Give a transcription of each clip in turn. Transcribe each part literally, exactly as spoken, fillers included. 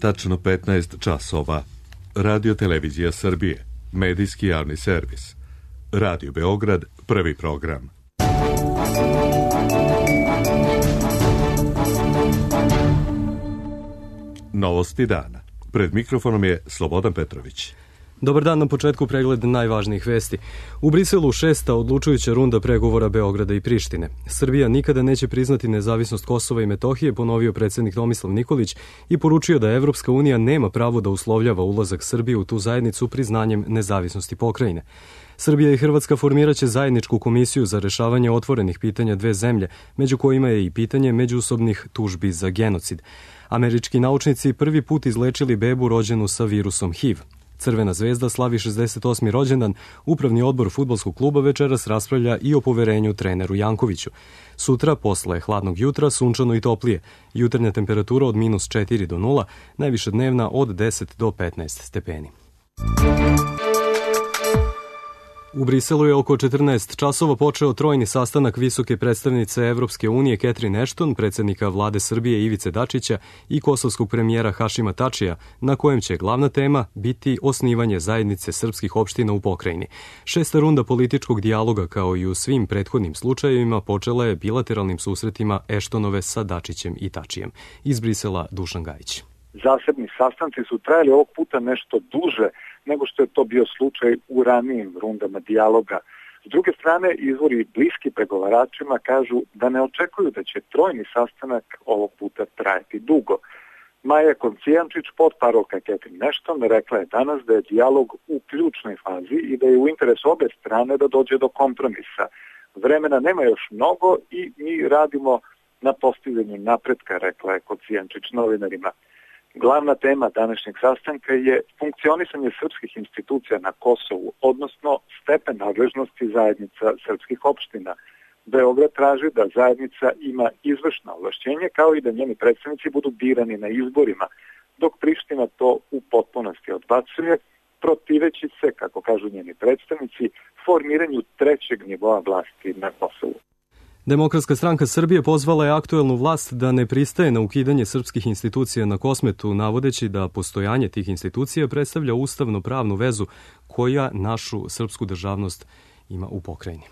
Tačno petnaest časova. Radio Televizija Srbije. Medijski javni servis. Radio Beograd, prvi program. Novosti dana. Pred mikrofonom je Slobodan Petrović. Dobar dan, na početku pregled najvažnijih vesti. U Briselu šesta odlučujuća runda pregovora Beograda i Prištine. Srbija nikada neće priznati nezavisnost Kosova i Metohije, ponovio predsjednik Tomislav Nikolić i poručio da Evropska unija nema pravo da uslovljava ulazak Srbije u tu zajednicu priznanjem nezavisnosti pokrajine. Srbija i Hrvatska formiraće zajedničku komisiju za rešavanje otvorenih pitanja dve zemlje, među kojima je i pitanje međusobnih tužbi za genocid. Američki naučnici prvi put izlečili bebu rođenu sa virusom H I V. Crvena zvezda slavi šezdeset osmi rođendan, upravni odbor fudbalskog kluba večeras raspravlja i o poverenju treneru Jankoviću. Sutra, posle hladnog jutra, sunčano i toplije. Jutarnja temperatura od minus četiri do nula, najviša dnevna od deset do petnaest stepeni. U Briselu je oko četrnaest časova počeo trojni sastanak visoke predstavnice Evropske unije Catherine Ashton, predsjednika vlade Srbije Ivice Dačića i kosovskog premijera Hašima Tačija, na kojem će glavna tema biti osnivanje zajednice srpskih opština u pokrajini. Šesta runda političkog dijaloga, kao i u svim prethodnim slučajevima, počela je bilateralnim susretima Ashtonove sa Dačićem i Tačijem. Iz Brisela Dušan Gajić. Zasebni sastanci su trajali ovog puta nešto duže nego što je to bio slučaj u ranijim rundama dijaloga. S druge strane, izvori bliski pregovaračima kažu da ne očekuju da će trojni sastanak ovog puta trajati dugo. Maja Koncijančić, potparolka Catherine Ashton, rekla je danas da je dijalog u ključnoj fazi i da je u interesu obe strane da dođe do kompromisa. Vremena nema još mnogo i mi radimo na postizanju napretka, rekla je Koncijančić novinarima. Glavna tema današnjeg sastanka je funkcionisanje srpskih institucija na Kosovu, odnosno stepen nadležnosti zajednica srpskih opština. Beograd traži da zajednica ima izvršno ovlašćenje, kao i da njeni predstavnici budu birani na izborima, dok Priština to u potpunosti odbacuje, protiveći se, kako kažu njeni predstavnici, formiranju trećeg nivoa vlasti na Kosovu. Demokratska stranka Srbije pozvala je aktuelnu vlast da ne pristaje na ukidanje srpskih institucija na Kosmetu, navodeći da postojanje tih institucija predstavlja ustavno-pravnu vezu koja našu srpsku državnost ima u pokrajini.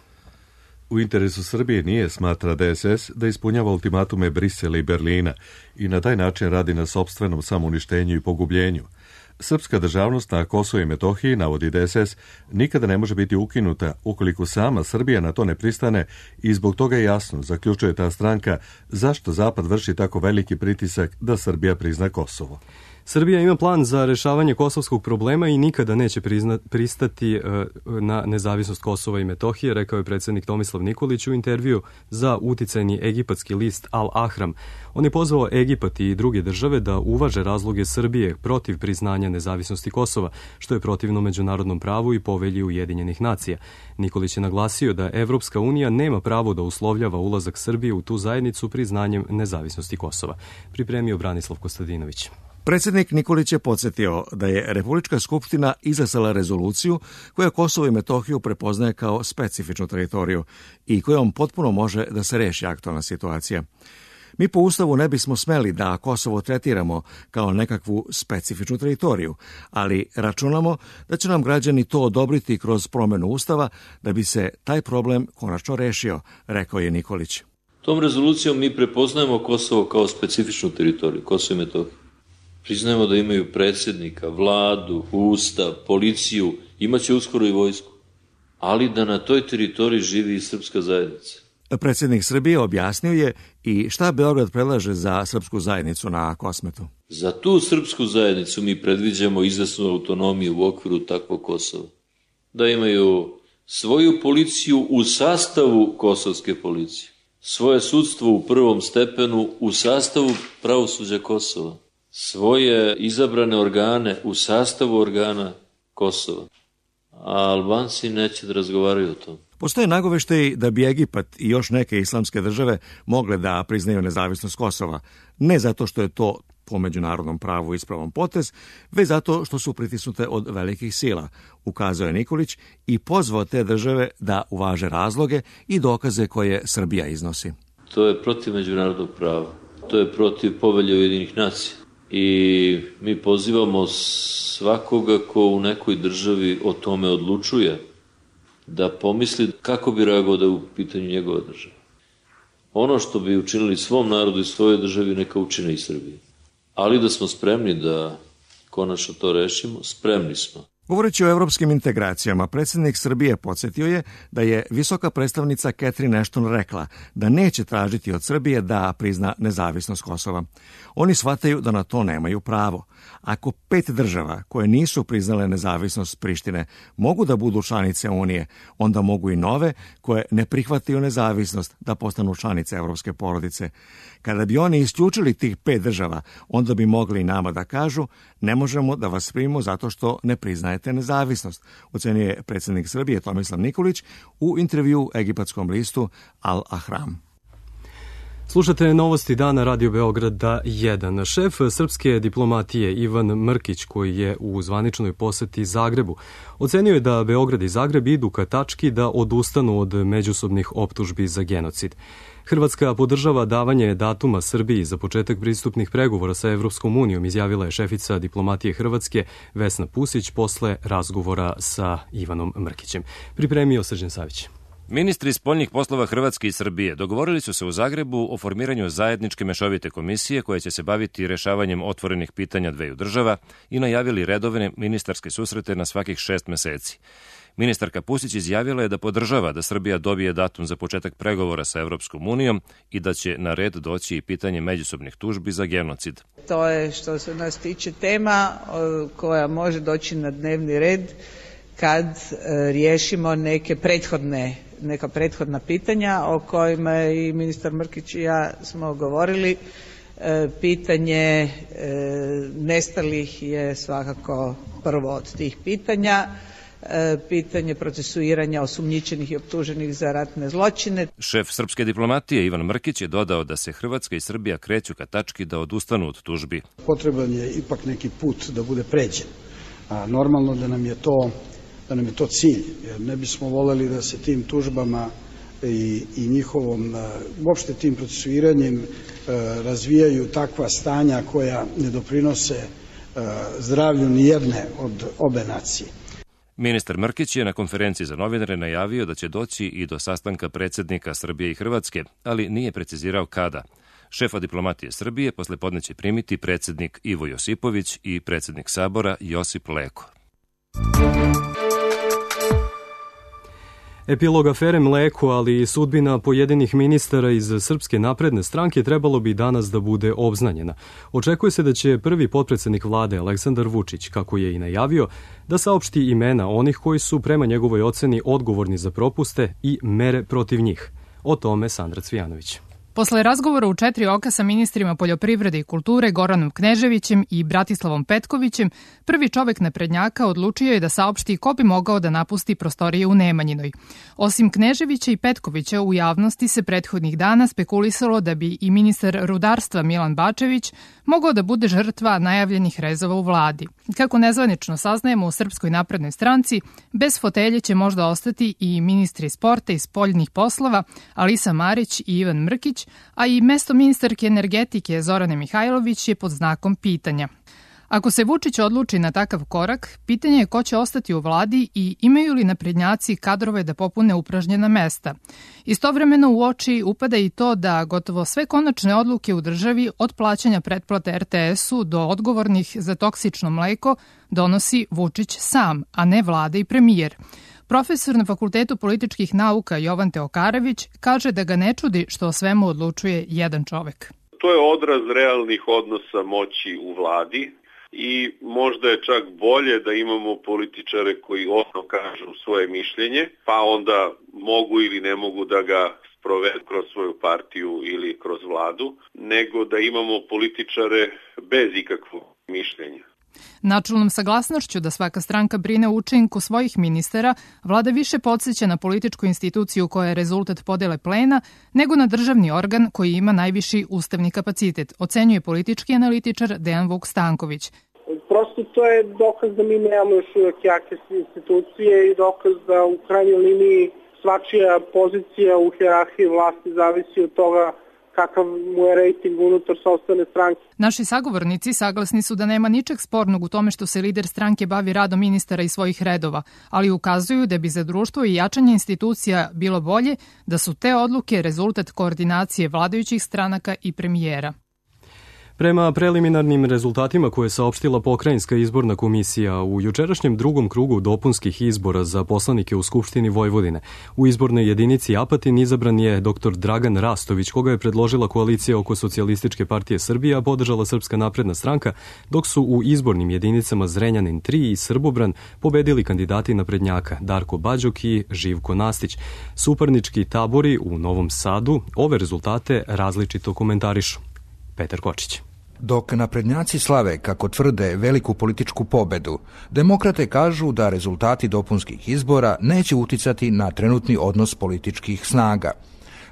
U interesu Srbije nije, smatra D S S, da ispunjava ultimatume Brisela i Berlina i na taj način radi na sopstvenom samouništenju i pogubljenju. Srpska državnost na Kosovu i Metohiji, navodi D S S, nikada ne može biti ukinuta ukoliko sama Srbija na to ne pristane i zbog toga je jasno, zaključuje ta stranka, zašto Zapad vrši tako veliki pritisak da Srbija prizna Kosovo. Srbija ima plan za rešavanje kosovskog problema i nikada neće prizna, pristati uh, na nezavisnost Kosova i Metohije, rekao je predsjednik Tomislav Nikolić u intervju za uticajni egipatski list Al Ahram. On je pozvao Egipat i druge države da uvaže razloge Srbije protiv priznanja nezavisnosti Kosova, što je protivno međunarodnom pravu i povelji Ujedinjenih nacija. Nikolić je naglasio da Evropska unija nema pravo da uslovljava ulazak Srbije u tu zajednicu priznanjem nezavisnosti Kosova. Pripremio Branislav Kostadinović. Predsjednik Nikolić je podsjetio da je Republička skupština izglasala rezoluciju koja Kosovo i Metohiju prepoznaje kao specifičnu teritoriju i kojom potpuno može da se reši aktualna situacija. Mi po Ustavu ne bismo smeli da Kosovo tretiramo kao nekakvu specifičnu teritoriju, ali računamo da će nam građani to odobriti kroz promjenu Ustava da bi se taj problem konačno rešio, rekao je Nikolić. Tom rezolucijom mi prepoznajemo Kosovo kao specifičnu teritoriju, Kosovo i Metohiju. Priznajemo da imaju predsjednika, vladu, ustav, policiju, imaće uskoro i vojsku, ali da na toj teritoriji živi i srpska zajednica. Predsjednik Srbije objasnio je i šta Beograd predlaže za srpsku zajednicu na Kosmetu. Za tu srpsku zajednicu mi predviđamo izvesnu autonomiju u okviru takvog Kosova. Da imaju svoju policiju u sastavu kosovske policije, svoje sudstvo u prvom stepenu u sastavu pravosuđa Kosova, svoje izabrane organe u sastavu organa Kosova. A Albanci neće da razgovaraju o tom. Postoje nagoveštaji da bi Egipat i još neke islamske države mogle da priznaju nezavisnost Kosova. Ne zato što je to po međunarodnom pravu ispravan potez, već zato što su pritisnute od velikih sila, ukazao je Nikolić i pozvao te države da uvaže razloge i dokaze koje Srbija iznosi. To je protiv međunarodnog prava. To je protiv povelje Ujedinjenih nacija. i mi pozivamo svakoga ko u nekoj državi o tome odlučuje da pomisli kako bi reagovao da je u pitanju njegova država. Ono što bi učinili svom narodu i svojoj državi neka učine i Srbiji. Ali da smo spremni da konačno to rešimo, spremni smo. Govoreći o evropskim integracijama, predsjednik Srbije podsjetio je da je visoka predstavnica Catherine Ashton rekla da neće tražiti od Srbije da prizna nezavisnost Kosova. Oni shvataju da na to nemaju pravo. Ako pet država koje nisu priznale nezavisnost Prištine mogu da budu članice Unije, onda mogu i nove koje ne prihvataju nezavisnost da postanu članice evropske porodice. Kada bi oni isključili tih pet država, onda bi mogli i nama da kažu ne možemo da vas primimo zato što ne priznajete nezavisnost, ocenjuje predsjednik Srbije Tomislav Nikolić u intervju egipatskom listu Al Ahram. Slušate novosti dana Radio Beograda jedan. Šef srpske diplomatije Ivan Mrkić, koji je u zvaničnoj poseti Zagrebu, ocenio je da Beograd i Zagreb idu ka tački da odustanu od međusobnih optužbi za genocid. Hrvatska podržava davanje datuma Srbiji za početak pristupnih pregovora sa Evropskom unijom, izjavila je šefica diplomatije Hrvatske Vesna Pusić posle razgovora sa Ivanom Mrkićem. Pripremio Srđan Savić. Ministri spoljnih poslova Hrvatske i Srbije dogovorili su se u Zagrebu o formiranju zajedničke mešovite komisije koja će se baviti rešavanjem otvorenih pitanja dveju država i najavili redovne ministarske susrete na svakih šest meseci. Ministarka Pusić izjavila je da podržava da Srbija dobije datum za početak pregovora sa Evropskom unijom i da će na red doći i pitanje međusobnih tužbi za genocid. To je što se nas tiče tema koja može doći na dnevni red kad riješimo neke prethodne, neka prethodna pitanja o kojima i ministar Mrkić i ja smo govorili. Pitanje nestalih je svakako prvo od tih pitanja. Pitanje procesuiranja osumnjičenih i optuženih za ratne zločine. Šef srpske diplomatije Ivan Mrkić je dodao da se Hrvatska i Srbija kreću ka tački da odustanu od tužbi. Potreban je ipak neki put da bude pređen. A normalno da nam je to da nam je to cilj, jer ne bismo voljeli da se tim tužbama i, i njihovom, uopšte tim procesuiranjem razvijaju takva stanja koja ne doprinose zdravlju nijedne od obe nacije. Ministar Mrkić je na konferenciji za novinare najavio da će doći i do sastanka predsjednika Srbije i Hrvatske, ali nije precizirao kada. Šefa diplomatije Srbije poslepodne će primiti predsjednik Ivo Josipović i predsjednik Sabora Josip Leko. Epilog afere Mleko, ali i sudbina pojedinih ministara iz Srpske napredne stranke trebalo bi danas da bude obznanjena. Očekuje se da će prvi potpredsednik vlade Aleksandar Vučić, kako je i najavio, da saopšti imena onih koji su prema njegovoj oceni odgovorni za propuste i mere protiv njih. O tome Sandra Cvijanović. Posle razgovora u četiri oka sa ministrima poljoprivrede i kulture Goranom Kneževićem i Bratislavom Petkovićem, prvi čovek naprednjaka odlučio je da saopšti ko bi mogao da napusti prostorije u Nemanjinoj. Osim Kneževića i Petkovića, u javnosti se prethodnih dana spekulisalo da bi i ministar rudarstva Milan Bačević mogao da bude žrtva najavljenih rezova u vladi. Kako nezvanično saznajemo u Srpskoj naprednoj stranci, bez fotelje će možda ostati i ministri sporta i spoljnih poslova Alisa Marić i Ivan Mrkić, a i mesto ministarke energetike Zorane Mihajlović je pod znakom pitanja. Ako se Vučić odluči na takav korak, pitanje je ko će ostati u vladi i imaju li naprednjaci kadrove da popune upražnjena mesta. Istovremeno u oči upada i to da gotovo sve konačne odluke u državi od plaćanja pretplate er te esu do odgovornih za toksično mleko donosi Vučić sam, a ne vlada i premijer. Profesor na Fakultetu političkih nauka Jovan Teokarević kaže da ga ne čudi što o svemu odlučuje jedan čovek. To je odraz realnih odnosa moći u vladi i možda je čak bolje da imamo političare koji osnovno kažu svoje mišljenje, pa onda mogu ili ne mogu da ga sprovedu kroz svoju partiju ili kroz vladu, nego da imamo političare bez ikakvog mišljenja. Načelnom saglasnošću da svaka stranka brine o učinku svojih ministara, vlada više podsjeća na političku instituciju koja je rezultat podele plena, nego na državni organ koji ima najviši ustavni kapacitet, ocenjuje politički analitičar Dejan Vuk Stanković. Prosto to je dokaz da mi nemamo još uvijek jake institucije i dokaz da u krajnjoj liniji svačija pozicija u hijerarhiji vlasti zavisi od toga kakav mu je rejting unutar sopstvene stranke. Naši sagovornici saglasni su da nema ničeg spornog u tome što se lider stranke bavi radom ministara i svojih redova, ali ukazuju da bi za društvo i jačanje institucija bilo bolje da su te odluke rezultat koordinacije vladajućih stranaka i premijera. Prema preliminarnim rezultatima koje je saopštila Pokrajinska izborna komisija u jučerašnjem drugom krugu dopunskih izbora za poslanike u Skupštini Vojvodine, u izbornoj jedinici Apatin izabran je doktor Dragan Rastović, koga je predložila koalicija oko Socijalističke partije Srbije, a podržala Srpska napredna stranka, dok su u izbornim jedinicama Zrenjanin tri i Srbobran pobedili kandidati naprednjaka Darko Bađok i Živko Nastić. Suparnički tabori u Novom Sadu ove rezultate različito komentarišu. Petar Kočić. Dok naprednjaci slave, kako tvrde, veliku političku pobedu, demokrate kažu da rezultati dopunskih izbora neće uticati na trenutni odnos političkih snaga.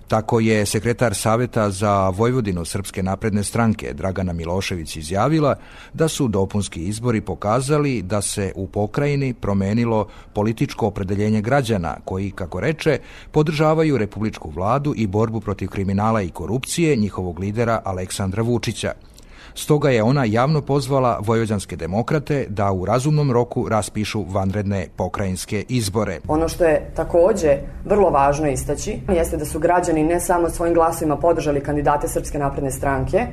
Tako je sekretar Saveta za Vojvodinu Srpske napredne stranke Dragana Milošević izjavila da su dopunski izbori pokazali da se u pokrajini promenilo političko opredeljenje građana koji, kako reče, podržavaju republičku vladu i borbu protiv kriminala i korupcije njihovog lidera Aleksandra Vučića. Stoga je ona javno pozvala vojvođanske demokrate da u razumnom roku raspišu vanredne pokrajinske izbore. Ono što je takođe vrlo važno istaći jeste da su građani ne samo svojim glasovima podržali kandidate Srpske napredne stranke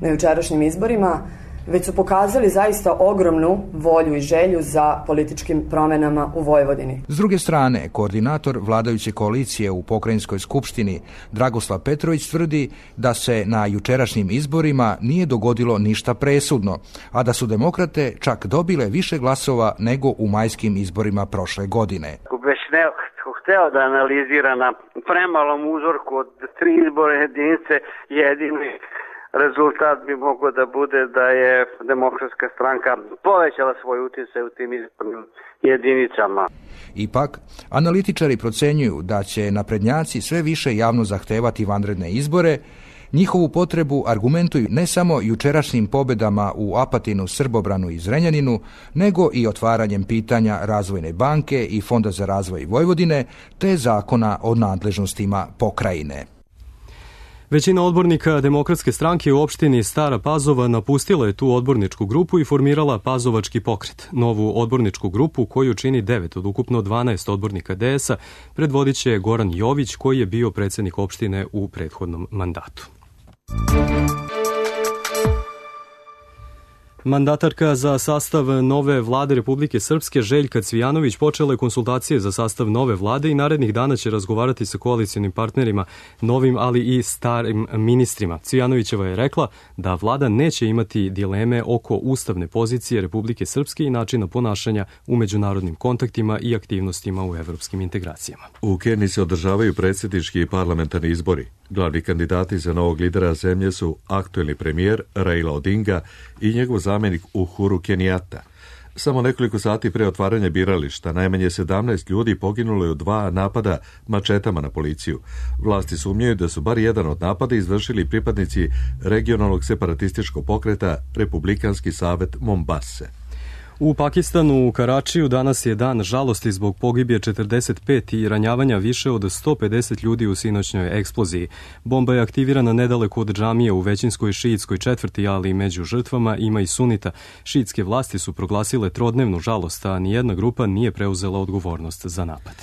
na jučerašnjim izborima, već su pokazali zaista ogromnu volju i želju za političkim promenama u Vojvodini. S druge strane, koordinator vladajuće koalicije u Pokrajinskoj skupštini Dragoslav Petrović tvrdi da se na jučerašnjim izborima nije dogodilo ništa presudno, a da su demokrate čak dobile više glasova nego u majskim izborima prošle godine. Hteo da analizira na premalom uzorku od tri izbore jedinice jedini rezultat bi mogao da bude da je Demokratska stranka povećala svoj utjecaj u tim izbornim jedinicama. Ipak, analitičari procenjuju da će naprednjaci sve više javno zahtevati vanredne izbore. Njihovu potrebu argumentuju ne samo jučerašnjim pobedama u Apatinu, Srbobranu i Zrenjaninu, nego i otvaranjem pitanja Razvojne banke i Fonda za razvoj Vojvodine, te zakona o nadležnostima pokrajine. Većina odbornika Demokratske stranke u opštini Stara Pazova napustila je tu odborničku grupu i formirala Pazovački pokret. Novu odborničku grupu, koju čini devet od ukupno dvanaest odbornika D S-a, predvodit će Goran Jović, koji je bio predsednik opštine u prethodnom mandatu. Mandatarka za sastav nove vlade Republike Srpske Željka Cvijanović počela je konsultacije za sastav nove vlade i narednih dana će razgovarati sa koalicionim partnerima, novim ali i starim ministrima. Cvijanovićeva je rekla da vlada neće imati dileme oko ustavne pozicije Republike Srpske i načina ponašanja u međunarodnim kontaktima i aktivnostima u evropskim integracijama. U Keniji se održavaju predsjednički i parlamentarni izbori. Glavni kandidati za novog lidera zemlje su aktuelni premijer Raila Odinga i njegov zamjenik Uhuru Kenyatta. Samo nekoliko sati pre otvaranja birališta najmanje sedamnaest ljudi poginulo je u dva napada mačetama na policiju. Vlasti sumnjaju da su bar jedan od napada izvršili pripadnici regionalnog separatističkog pokreta Republikanski savet Mombase. U Pakistanu, u Karačiju, danas je dan žalosti zbog pogibije četrdeset pet i ranjavanja više od sto pedeset ljudi u sinoćnjoj eksploziji. Bomba je aktivirana nedaleko od džamije u većinskoj šiitskoj četvrti, ali među žrtvama ima i sunita. Šiitske vlasti su proglasile trodnevnu žalost, a nijedna grupa nije preuzela odgovornost za napad.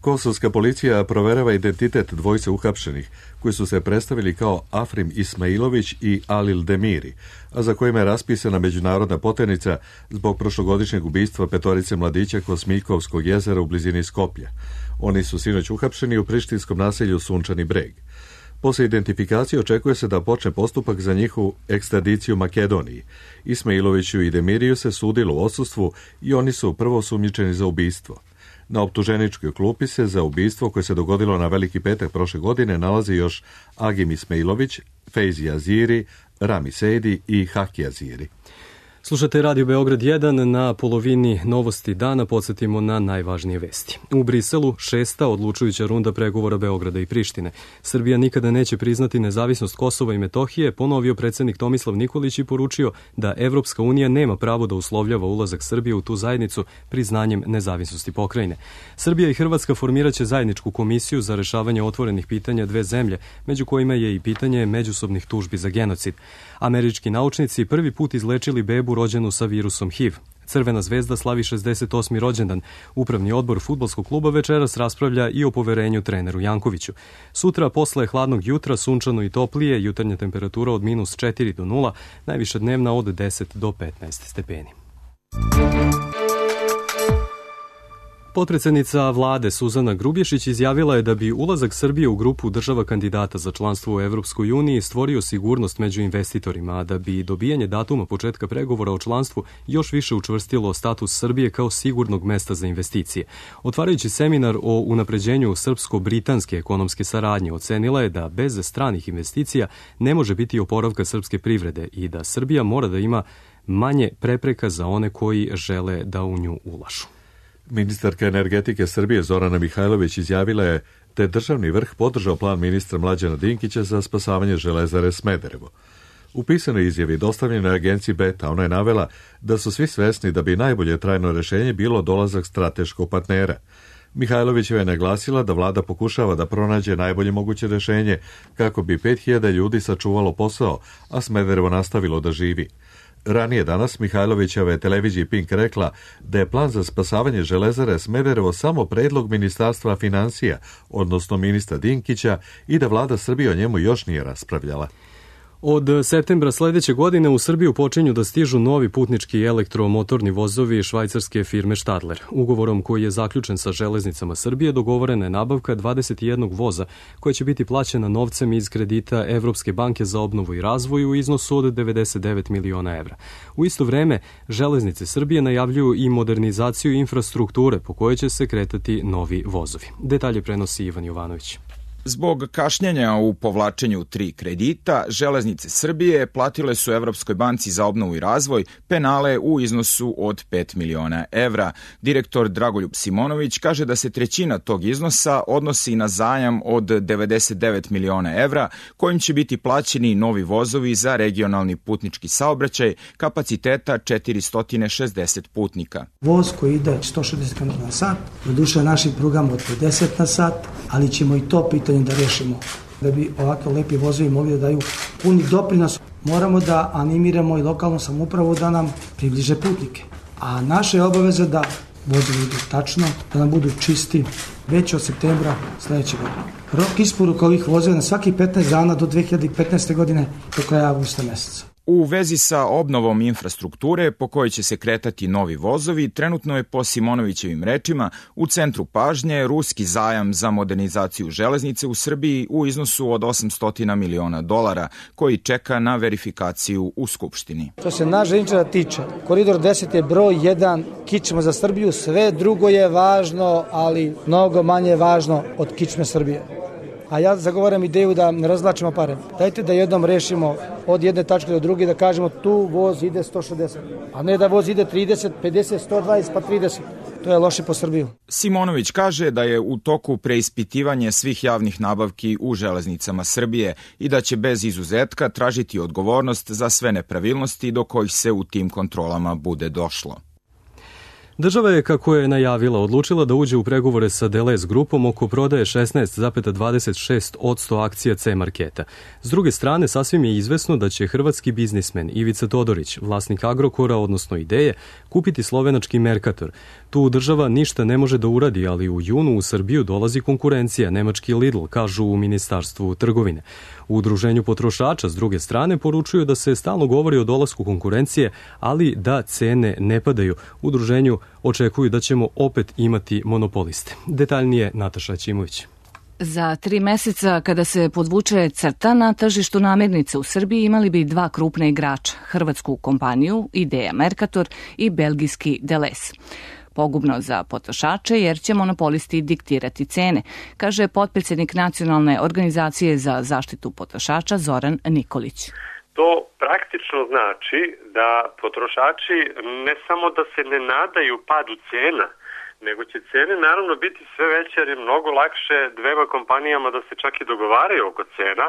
Kosovska policija proverava identitet dvojice uhapšenih, koji su se predstavili kao Afrim Ismailović i Alil Demiri, a za kojima je raspisana međunarodna poternica zbog prošlogodišnjeg ubistva petorice mladića kod Smiljkovskog jezera u blizini Skoplja. Oni su sinoć uhapšeni u prištinskom naselju Sunčani Breg. Posle identifikacije očekuje se da počne postupak za njihovu ekstradiciju Makedoniji. Ismailoviću i Demiriju se sudilo u odsustvu i oni su prvo osumnjičeni za ubistvo. Na optuženičkoj klupi se za ubistvo koje se dogodilo na Veliki petak prošle godine nalazi još Agim Ismailović, Fejzi Aziri, Rami Sejdi i Haki Aziri. Slušate Radio Beograd jedan, na polovini novosti dana podsjetimo na najvažnije vesti. U Briselu šesta odlučujuća runda pregovora Beograda i Prištine. Srbija nikada neće priznati nezavisnost Kosova i Metohije, ponovio predsednik Tomislav Nikolić i poručio da Evropska unija nema pravo da uslovljava ulazak Srbije u tu zajednicu priznanjem nezavisnosti pokrajine. Srbija i Hrvatska formiraće zajedničku komisiju za rešavanje otvorenih pitanja dve zemlje, među kojima je i pitanje međusobnih tužbi za genocid. Američki naučnici prvi put izlečili bebu rođenu sa virusom H I V. Crvena zvezda slavi šezdeset osmi rođendan. Upravni odbor fudbalskog kluba večeras raspravlja i o poverenju treneru Jankoviću. Sutra, posle hladnog jutra, sunčano i toplije, jutarnja temperatura od minus četiri do nula, najviša dnevna od deset do petnaest stepeni. Potpredsednica vlade Suzana Grubješić izjavila je da bi ulazak Srbije u grupu država kandidata za članstvo u Evropskoj uniji stvorio sigurnost među investitorima, a da bi dobijanje datuma početka pregovora o članstvu još više učvrstilo status Srbije kao sigurnog mesta za investicije. Otvarajući seminar o unapređenju srpsko-britanske ekonomske saradnje, ocenila je da bez stranih investicija ne može biti oporavka srpske privrede i da Srbija mora da ima manje prepreka za one koji žele da u nju ulažu. Ministarka energetike Srbije Zorana Mihajlović izjavila je da je državni vrh podržao plan ministra Mlađana Dinkića za spasavanje Železare Smederevo. U pisanoj izjavi dostavljenoj agenciji Beta ona je navela da su svi svesni da bi najbolje trajno rešenje bilo dolazak strateškog partnera. Mihajlovićeva je naglasila da vlada pokušava da pronađe najbolje moguće rešenje kako bi pet hiljada ljudi sačuvalo posao, a Smederevo nastavilo da živi. Ranije danas Mihajlovićeva je televiziji Pink rekla da je plan za spasavanje Železare Smederevo samo predlog Ministarstva financija, odnosno ministra Dinkića, i da vlada Srbije o njemu još nije raspravljala. Od septembra sledeće godine u Srbiju počinju da stižu novi putnički elektromotorni vozovi švajcarske firme Stadler. Ugovorom koji je zaključen sa Železnicama Srbije dogovorena je nabavka dvadeset jedan voza koja će biti plaćena novcem iz kredita Evropske banke za obnovu i razvoj u iznosu od devedeset devet miliona evra. U isto vreme, Železnice Srbije najavljuju i modernizaciju infrastrukture po kojoj će se kretati novi vozovi. Detalje prenosi Ivan Jovanović. Zbog kašnjenja u povlačenju tri kredita, Železnice Srbije platile su Evropskoj banci za obnovu i razvoj penale u iznosu od pet miliona evra. Direktor Dragoljub Simonović kaže da se trećina tog iznosa odnosi na zajam od devedeset devet miliona evra, kojim će biti plaćeni novi vozovi za regionalni putnički saobraćaj kapaciteta četiristo šezdeset putnika. Voz koji ide sto šezdeset kilometara na sat, doduše našim prugama od pedeset na sat, ali ćemo i to pitanje da rešimo. Da bi ovako lepi vozovi mogli da daju puni doprinos, moramo da animiramo i lokalnu samoupravu da nam približe putnike. A naša je obaveza da vozovi idu tačno, da nam budu čisti već od septembra sledeće godine. Rok isporuka ovih vozova na svaki petnaest dana do dve hiljade petnaeste godine do kraja avgusta meseca. U vezi sa obnovom infrastrukture po kojoj će se kretati novi vozovi, trenutno je po Simonovićevim rečima u centru pažnje ruski zajam za modernizaciju železnice u Srbiji u iznosu od osamsto miliona dolara, koji čeka na verifikaciju u Skupštini. Što se naš železničara tiče, koridor deset je broj jedan, kičma za Srbiju, sve drugo je važno, ali mnogo manje važno od kičme Srbije. A ja zagovaram ideju da ne razvlačimo pare. Dajte da jednom rešimo od jedne tačke do druge, da kažemo tu voz ide sto šezdeset, a ne da voz ide trideset, pedeset, sto dvadeset pa trideset. To je loše po Srbiju. Simonović kaže da je u toku preispitivanje svih javnih nabavki u Železnicama Srbije i da će bez izuzetka tražiti odgovornost za sve nepravilnosti do kojih se u tim kontrolama bude došlo. Država je, kako je najavila, odlučila da uđe u pregovore sa Delez grupom oko prodaje šesnaest zarez dvadeset šest posto akcija C-marketa. S druge strane, sasvim je izvesno da će hrvatski biznismen Ivica Todorić, vlasnik Agrokora, odnosno Ideje, kupiti slovenački Mercator. Tu država ništa ne može da uradi, ali u junu u Srbiju dolazi konkurencija, nemački Lidl, kažu u Ministarstvu trgovine. U Udruženju potrošača, s druge strane, poručuju da se stalno govori o dolasku konkurencije, ali da cene ne padaju. U Udruženju očekuju da ćemo opet imati monopoliste. Detaljnije Nataša Ćimović. Za tri meseca, kada se podvuče crta na tržištu namirnica u Srbiji, imali bi dva krupna igrača, hrvatsku kompaniju Ideja Mercator i belgijski Delez. Pogubno za potrošače jer će monopolisti diktirati cene, kaže potpredsednik Nacionalne organizacije za zaštitu potrošača Zoran Nikolić. To praktično znači da potrošači ne samo da se ne nadaju padu cena, nego će cene naravno biti sve veće jer je mnogo lakše dvema kompanijama da se čak i dogovaraju oko cena.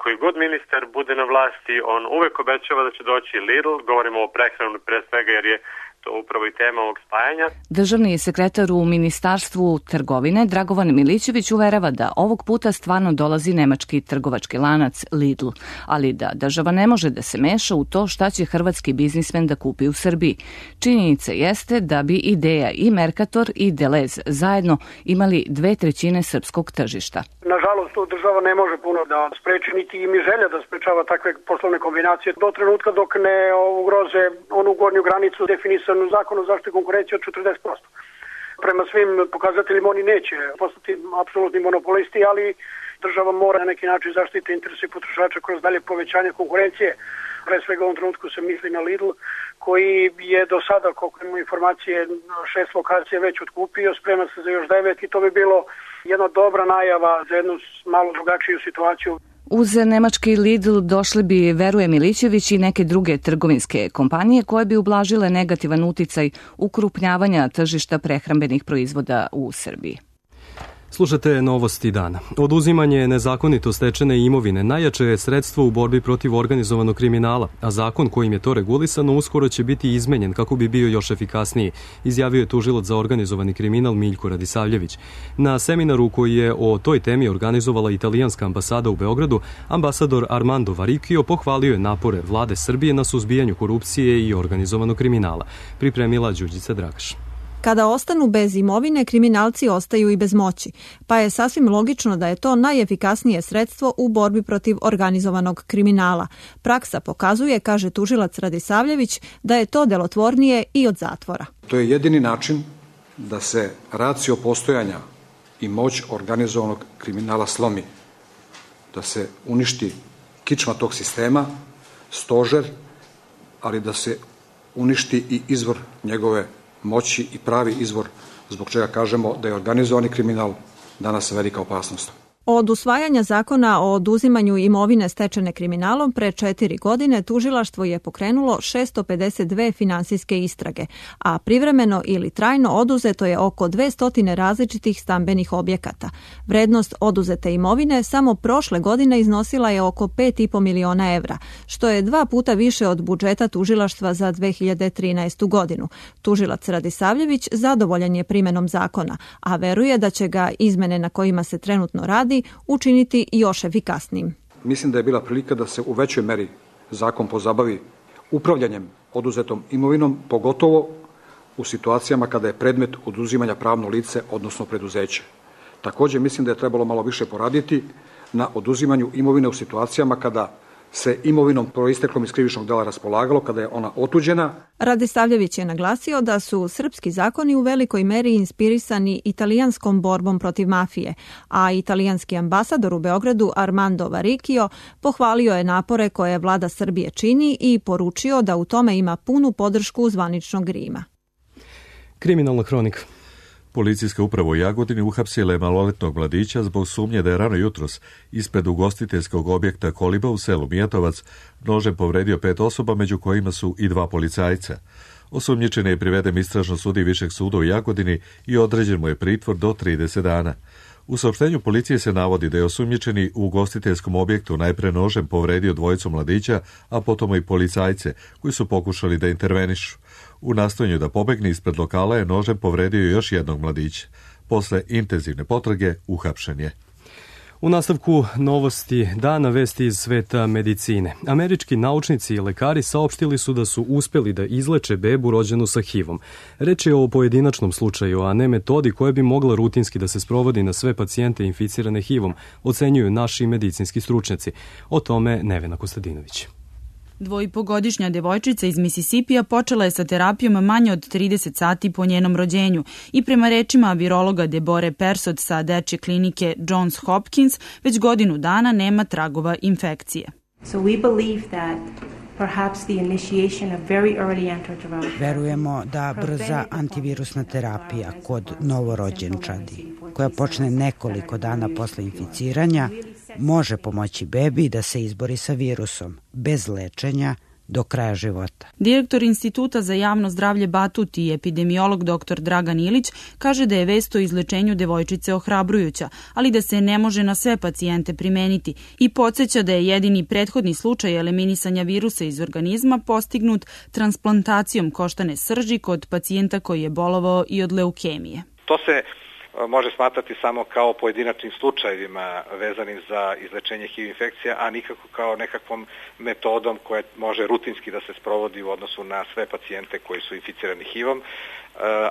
Koji god ministar bude na vlasti, on uvek obećava da će doći Lidl, govorimo o prehranu pre svega jer je to upravo i tema ovog spajanja. Državni sekretar u Ministarstvu trgovine Dragovan Milićević uverava da ovog puta stvarno dolazi nemački trgovački lanac Lidl, ali da država ne može da se meša u to šta će hrvatski biznismen da kupi u Srbiji. Činjenica jeste da bi Ideja i Mercator i Delez zajedno imali dve trećine srpskog tržišta. Nažalost, to država ne može puno da spreči, niti im je želja da sprečava takve poslovne kombinacije do trenutka dok ne ugroze onu gornju granicu definisanu u zakonu o zaštiti konkurencije od četrdeset posto. Prema svim pokazateljima oni neće postati apsolutni monopolisti, ali država mora na neki način zaštiti interese potrošača kroz dalje povećanje konkurencije. Pre svega u ovom trenutku se misli na Lidl, koji je do sada, koliko imamo informacije, šest lokacija već otkupio, sprema se za još devet i to bi bilo jedna dobra najava za jednu malo drugačiju situaciju. Uz nemački Lidl došli bi, veruje Milićević, i neke druge trgovinske kompanije koje bi ublažile negativan uticaj ukrupnjavanja tržišta prehrambenih proizvoda u Srbiji. Slušate Novosti dana. Oduzimanje nezakonito stečene imovine najjače je sredstvo u borbi protiv organizovanog kriminala, a zakon kojim je to regulisano uskoro će biti izmenjen kako bi bio još efikasniji, izjavio je tužilac za organizovani kriminal Miljko Radisavljević. Na seminaru koji je o toj temi organizovala italijanska ambasada u Beogradu, ambasador Armando Varikio pohvalio je napore vlade Srbije na suzbijanju korupcije i organizovanog kriminala. Pripremila Đurđica Dragaš. Kada ostanu bez imovine, kriminalci ostaju i bez moći, pa je sasvim logično da je to najefikasnije sredstvo u borbi protiv organizovanog kriminala. Praksa pokazuje, kaže tužilac Radisavljević, da je to delotvornije i od zatvora. To je jedini način da se racio postojanja i moć organizovanog kriminala slomi, da se uništi kičma tog sistema, stožer, ali da se uništi i izvor njegove moći i pravi izvor zbog čega kažemo da je organizovani kriminal danas velika opasnost. Od usvajanja zakona o oduzimanju imovine stečene kriminalom pre četiri godine tužilaštvo je pokrenulo šesto pedeset dve finansijske istrage, a privremeno ili trajno oduzeto je oko dvesta različitih stambenih objekata. Vrednost oduzete imovine samo prošle godine iznosila je oko pet i po miliona evra, što je dva puta više od budžeta tužilaštva za dve hiljade trinaestu godinu. Tužilac Radisavljević zadovoljan je primenom zakona, a veruje da će ga izmene na kojima se trenutno radi učiniti još efikasnijim. Mislim da je bila prilika da se u većoj meri zakon pozabavi upravljanjem oduzetom imovinom, pogotovo u situacijama kada je predmet oduzimanja pravno lice, odnosno preduzeće. Također mislim da je trebalo malo više poraditi na oduzimanju imovine u situacijama kada se imovinom proisteklom iz krivičnog dela raspolagalo, kada je ona otuđena. Radisavljević je naglasio da su srpski zakoni u velikoj meri inspirisani italijanskom borbom protiv mafije, a italijanski ambasador u Beogradu Armando Varikio pohvalio je napore koje vlada Srbije čini i poručio da u tome ima punu podršku zvaničnog Rima. Kriminalna hronika. Policijska uprava u Jagodini uhapsila je maloletnog mladića zbog sumnje da je rano jutros ispred ugostiteljskog objekta Koliba u selu Mijatovac nožem povredio pet osoba, među kojima su i dva policajca. Osumnjičeni je priveden istražno sudi Višeg suda u Jagodini i određen mu je pritvor do trideset dana. U saopštenju policije se navodi da je osumnjičeni u ugostiteljskom objektu najpre nožem povredio dvojicu mladića, a potom i policajce koji su pokušali da intervenišu. U nastojanju da pobegne ispred lokala je nožem povredio još jednog mladića. Posle intenzivne potrage uhapšen je. U nastavku Novosti dana, vesti iz sveta medicine. Američki naučnici i lekari saopštili su da su uspeli da izleče bebu rođenu sa H I V-om. Reč je o pojedinačnom slučaju, a ne metodi koja bi mogla rutinski da se sprovodi na sve pacijente inficirane H I V-om, ocenjuju naši medicinski stručnjaci. O tome Nevena Kostadinović. Dvojipogodišnja devojčica iz Misisipija počela je sa terapijom manje od trideset sati po njenom rođenju i prema rečima virologa Debore Persod sa dečje klinike Johns Hopkins već godinu dana nema tragova infekcije. So we believe that perhaps the initiation of very early antiviral. Verujemo da brza antivirusna terapija kod novorođenčadi, koja počne nekoliko dana posle inficiranja, može pomoći bebi da se izbori sa virusom, bez lečenja, do kraja života. Direktor Instituta za javno zdravlje Batut i epidemiolog dr Dragan Ilić kaže da je vest o izlečenju devojčice ohrabrujuća, ali da se ne može na sve pacijente primeniti i podsjeća da je jedini prethodni slučaj eliminisanja virusa iz organizma postignut transplantacijom koštane srži kod pacijenta koji je bolovao i od leukemije. To se može smatrati samo kao pojedinačnim slučajevima vezanim za izlečenje H I V infekcija, a nikako kao nekakvom metodom koja može rutinski da se sprovodi u odnosu na sve pacijente koji su inficirani H I V-om,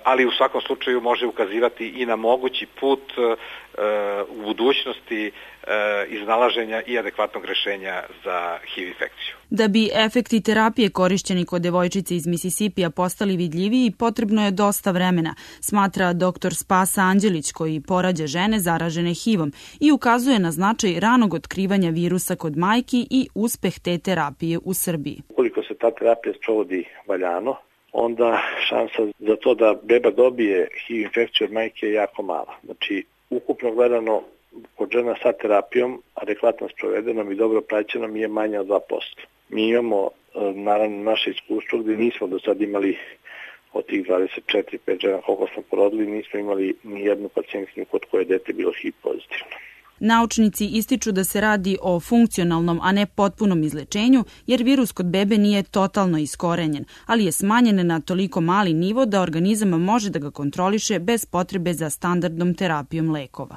ali u svakom slučaju može ukazivati i na mogući put u budućnosti iznalaženja i adekvatnog rešenja za H I V infekciju. Da bi efekti terapije korišćeni kod devojčice iz Misisipija postali vidljiviji, potrebno je dosta vremena, smatra dr Spasa Anđelić koji porađa žene zaražene H I V-om i ukazuje na značaj ranog otkrivanja virusa kod majki i uspeh te terapije u Srbiji. Ukoliko se ta terapija sprovodi valjano, onda šansa za to da beba dobije H I V infekciju od majke je jako mala. Znači, ukupno gledano, kod žena sa terapijom, adekvatno sprovedenom i dobro praćenom je manja od dva posto. Mi imamo, naravno, naše iskustvo gde nismo do sad imali od tih dvadeset četiri pet žena koliko smo porodili, nismo imali ni jednu pacijentkinju kod koje je dete bilo H I V pozitivno. Naučnici ističu da se radi o funkcionalnom, a ne potpunom izlečenju, jer virus kod bebe nije totalno iskorenjen, ali je smanjen na toliko mali nivo da organizam može da ga kontroliše bez potrebe za standardnom terapijom lekova.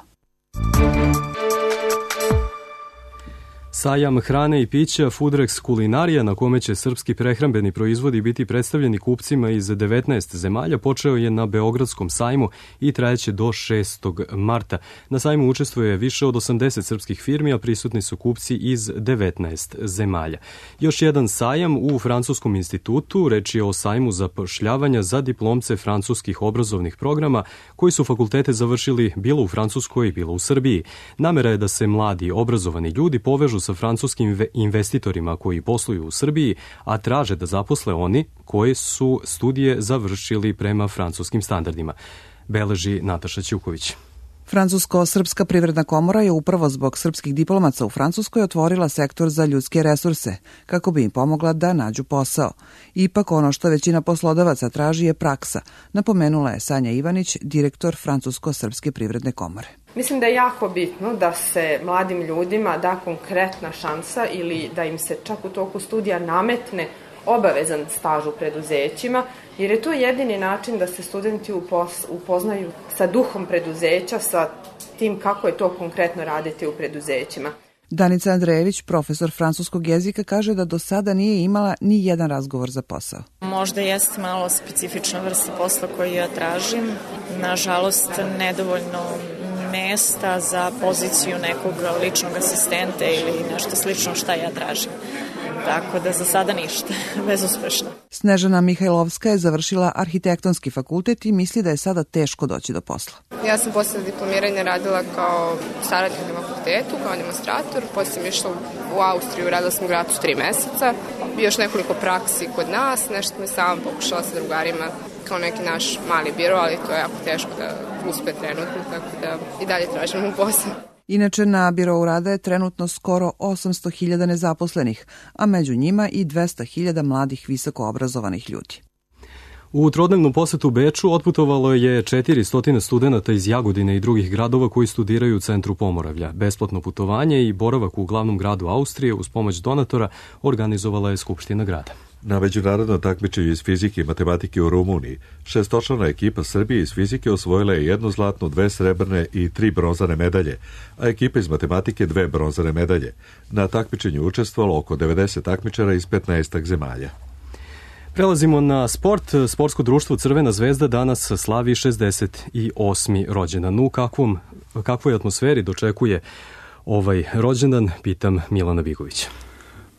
Sajam hrane i pića Foodrex Kulinarija, na kome će srpski prehrambeni proizvodi biti predstavljeni kupcima iz devetnaest zemalja, počeo je na Beogradskom sajmu i trajeće do šestog marta. Na sajmu učestvuje više od osamdeset srpskih firmi, a prisutni su kupci iz devetnaest zemalja. Još jedan sajam u Francuskom institutu, reč je o sajmu zapošljavanja za diplomce francuskih obrazovnih programa koji su fakultete završili bilo u Francuskoj, bilo u Srbiji. Namera je da se mladi obrazovani ljudi povežu sa francuskim investitorima koji posluju u Srbiji, a traže da zaposle oni koji su studije završili prema francuskim standardima. Beleži Nataša Ćuković. Francusko-srpska privredna komora je upravo zbog srpskih diplomaca u Francuskoj otvorila sektor za ljudske resurse, kako bi im pomogla da nađu posao. Ipak ono što većina poslodavaca traži je praksa, napomenula je Sanja Ivanić, direktor Francusko-srpske privredne komore. Mislim da je jako bitno da se mladim ljudima da konkretna šansa ili da im se čak u toku studija nametne obavezan staž u preduzećima, jer je to jedini način da se studenti upoznaju sa duhom preduzeća, sa tim kako je to konkretno raditi u preduzećima. Danica Andrejević, profesor francuskog jezika, kaže da do sada nije imala ni jedan razgovor za posao. Možda jeste malo specifična vrsta posla koju ja tražim. Nažalost, nedovoljno mesta za poziciju nekog ličnog asistenta ili nešto slično šta ja tražim. Tako da za sada ništa, bezuspešno. Snežana Mihajlovska je završila arhitektonski fakultet i misli da je sada teško doći do posla. Ja sam posle diplomiranja radila kao saradnik na fakultetu, kao demonstrator, posle sam išla u Austriju, radila sam u Gracu tri meseca, još nekoliko praksi kod nas, nešto me sama pokušala sa drugarima kao neki naš mali biro, ali to je jako teško da uspe trenutno, tako da i dalje tražimo posao. Inače, na birou rada je trenutno skoro osamsto hiljada nezaposlenih, a među njima i dvesta hiljada mladih visoko obrazovanih ljudi. U trodnevnom posetu Beču otputovalo je četiristo studenata iz Jagodine i drugih gradova koji studiraju u centru Pomoravlja. Besplatno putovanje i boravak u glavnom gradu Austrije uz pomoć donatora organizovala je Skupština grada. Na međunarodnom takmičenju iz fizike i matematike u Rumuniji, šestočlana ekipa Srbije iz fizike osvojila je jednu zlatnu, dve srebrne i tri bronzane medalje, a ekipa iz matematike dve bronzane medalje. Na takmičenju učestvovalo oko devedeset takmičara iz petnaest zemalja. Prelazimo na sport. Sportsko društvo Crvena zvezda danas slavi šezdeset osmi rođendan. U kakvom, kakvoj atmosferi dočekuje ovaj rođendan, pitam Milana Bigovića.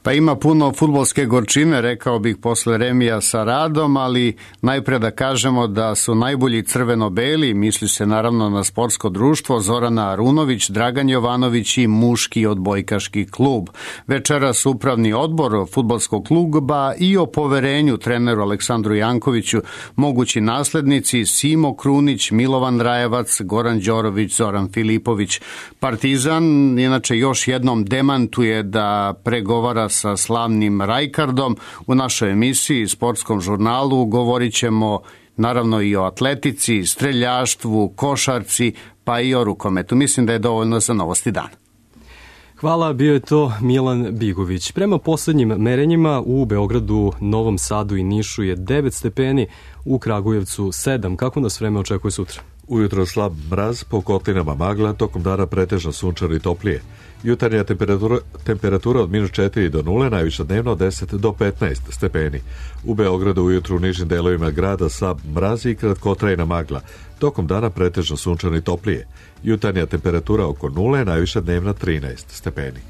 Pa ima puno fudbalske gorčine, rekao bih, posle remija sa Radom, ali najpre da kažemo da su najbolji crveno-beli, misli se naravno na sportsko društvo, Zorana Arunović, Dragan Jovanović i muški odbojkaški klub. Večeras upravni odbor fudbalskog kluba i o poverenju treneru Aleksandru Jankoviću, mogući naslednici Simo Krunić, Milovan Rajevac, Goran Đorović, Zoran Filipović. Partizan inače još jednom demantuje da pregovara sa slavnim Rajkardom. U našoj emisiji, sportskom žurnalu, govorit ćemo naravno i o atletici, streljaštvu, košarci, pa i o rukometu. Mislim da je dovoljno za Novosti dana. Hvala, bio je to Milan Bigović. Prema poslednjim merenjima u Beogradu, Novom Sadu i Nišu je devet stepeni, u Kragujevcu sedam. Kako nas vreme očekuje sutra? Ujutro slab mraz, po kotlinama magla, tokom dana pretežno sunčano i toplije. Jutarnja temperatura, temperatura od minus četiri do nule, najviša dnevno od deset do petnaest stepeni. U Beogradu ujutru u nižim delovima grada slab mraz i kratkotrajna magla, tokom dana pretežno sunčano i toplije. Jutarnja temperatura oko nule, najviša dnevna trinaest stepeni.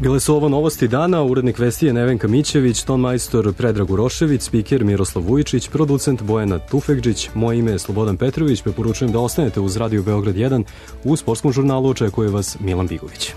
Bile su ovo Novosti dana, urednik vesti je Nevenka Mićević, ton majstor Predrag Urošević, spiker Miroslav Vujičić, producent Bojana Tufekđić, moje ime je Slobodan Petrović, preporučujem da ostanete uz Radio Beograd jedan, u sportskom žurnalu očekuje vas Milan Bigović.